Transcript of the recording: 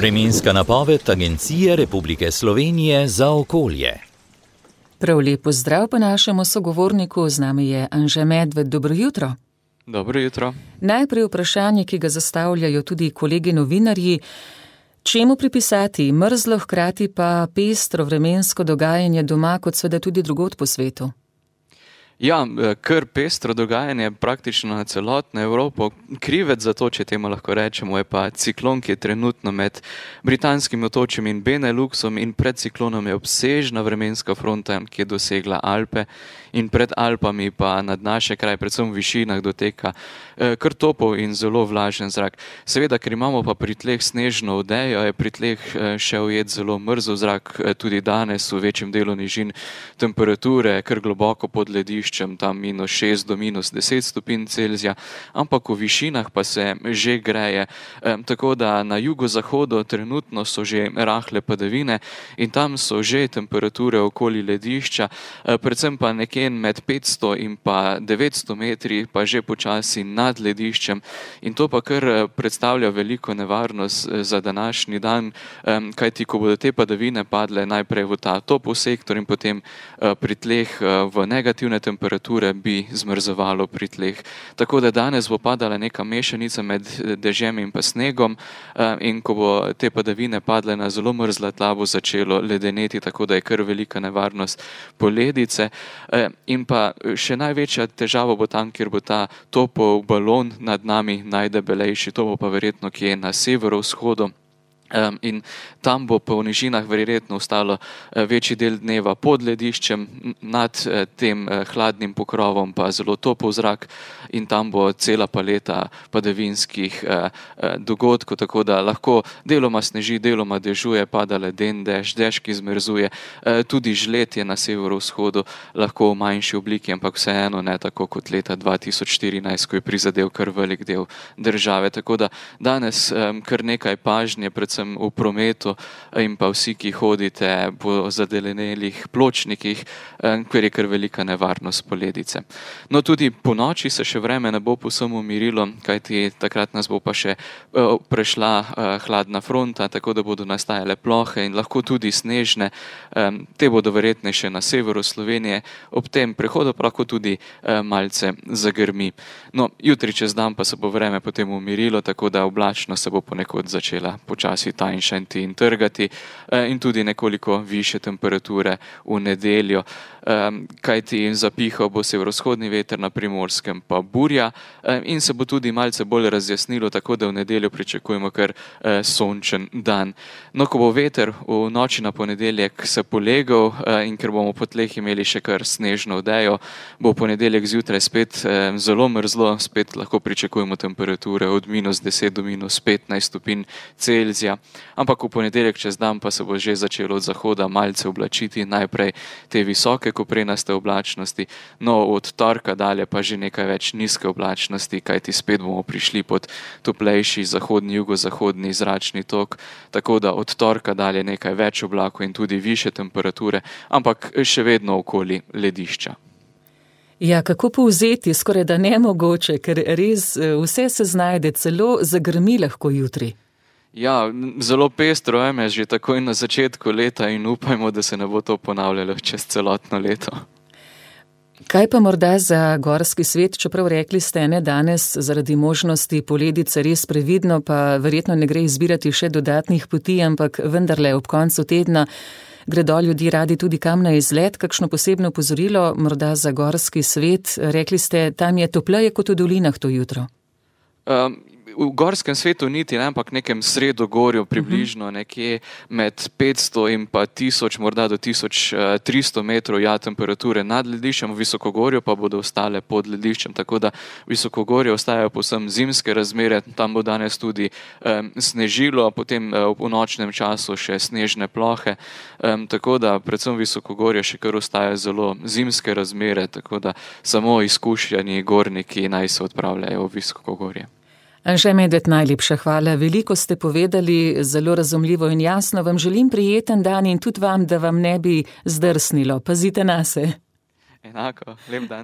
Vremenska napoved Agencije Republike Slovenije za okolje. Prav lep pozdrav pa našemu sogovorniku, z nami je Anže Medved. Dobro jutro. Dobro jutro. Najprej vprašanje, ki ga zastavljajo tudi kolegi novinarji. Čemu pripisati mrzlo, hkrati pa pestro vremensko dogajanje doma, kot seveda tudi drugod po svetu? Ja, kar pestro dogajanje praktično na celotno Evropo. Krivec za to, če temu lahko rečemo, je pa ciklon, ki je trenutno med britanskim otočjem in Beneluxom, in pred ciklonom je obsežna vremenska fronta, ki je dosegla Alpe, in pred Alpami pa nad naše kraje, predvsem v višinah, doteka kar topel in zelo vlažen zrak. Seveda, ker imamo pa pri tleh snežno odejo, je pri tleh še ujet zelo mrzel zrak, tudi danes v večjem delu nižin temperature kar globoko pod lediščem, tam -6 do -10 stopinj Celzija, ampak v višinah pa se že greje, tako da na jugozahodu trenutno so že rahle padavine in tam so že temperature okoli ledišča, predvsem pa nekje med 500 in pa 900 metri pa že počasi nad lediščem, in to pa kar predstavlja veliko nevarnost za današnji dan, kajti ko bodo te padavine padle najprej v ta topel sektor in potem pri tleh v negativne temperature, bi zmrzovalo pri tleh. Tako da danes bo padala neka mešanica med dežjem in pa snegom, in ko bo te padavine padle na zelo mrzla tla, bo začelo ledeneti, tako da je kar velika nevarnost poledice. In pa še največja težava bo tam, kjer bo ta topel balon nad nami najdebelejši, to bo pa verjetno kje na severovzhodu. In tam bo po nižinah verjetno ostalo večji del dneva pod lediščem, nad tem hladnim pokrovom pa zelo topel zrak, in tam bo cela paleta padavinskih dogodkov, tako da lahko deloma sneži, deloma dežuje, pada leden dež, ki zmrzuje, tudi žled je na severovzhodu lahko v manjši obliki, ampak vseeno ne tako kot leta 2014, ko je prizadel kar velik del države. Tako da danes kar nekaj pažnje, predvsem v prometu, in pa vsi, ki hodite po zadelenelih pločnikih, ker je kar velika nevarnost poledice. No, tudi po noči se še vreme ne bo povsem umirilo, kajti takrat nas bo pa še prešla hladna fronta, tako da bodo nastajale plohe in lahko tudi snežne. Te bodo verjetnejše na severu Slovenije, ob tem prehodu pa lahko tudi malce zagrmi. No, jutri čez dan pa se bo vreme potem umirilo, tako da oblačno se bo ponekod začela počasi tanjšati in trgati, in tudi nekoliko više temperature v nedeljo, kajti zapihal bo severovzhodni veter, na Primorskem pa burja, in se bo tudi malce bolj razjasnilo, tako da v nedeljo pričakujemo kar sončen dan. No, ko bo veter v noči na ponedeljek se polegal, in ker bomo po tleh imeli še kar snežno odejo, bo v ponedeljek zjutraj spet zelo mrzlo, spet lahko pričakujemo temperature od -10 do -15 stopinj Celzija. Ampak v ponedeljek čez dan pa se bo že začelo od zahoda malce oblačiti, najprej te visoke koprenaste oblačnosti, no od torka dalje pa že nekaj več nizke oblačnosti, kajti spet bomo prišli pod toplejši zahodni, jugozahodni zračni tok, tako da od torka dalje nekaj več oblakov in tudi više temperature, ampak še vedno okoli ledišča. Ja, kako povzeti, skoraj da nemogoče, ker res vse se znajde, celo zagrmi lahko jutri. Ja, zelo pestro je že takoj na začetku leta in upajmo, da se ne bo to ponavljalo čez celotno leto. Kaj pa morda za gorski svet, čeprav rekli ste, ne, danes zaradi možnosti poledice res previdno, pa verjetno ne gre izbirati še dodatnih poti, ampak vendarle ob koncu tedna gredo ljudi radi tudi kam na izlet, kakšno posebno opozorilo morda za gorski svet? Rekli ste, tam je topleje kot v dolinah to jutro. V gorskem svetu niti, ampak nekem sredogorju približno, nekje med 500 in pa 1000, morda do 1300 metrov, ja, temperature nad lediščem, v visokogorju pa bodo ostale pod lediščem, tako da visokogorje ostajajo povsem zimske razmere, tam bo danes tudi snežilo, potem v nočnem času še snežne plohe, tako da predvsem visokogorje še kar ostajajo zelo zimske razmere, tako da samo izkušeni gorniki naj se odpravljajo v visokogorje. Anže Medved, najlepša hvala. Veliko ste povedali, zelo razumljivo in jasno. Vam želim prijeten dan in tudi vam, da vam ne bi zdrsnilo. Pazite nase. Enako, lep dan.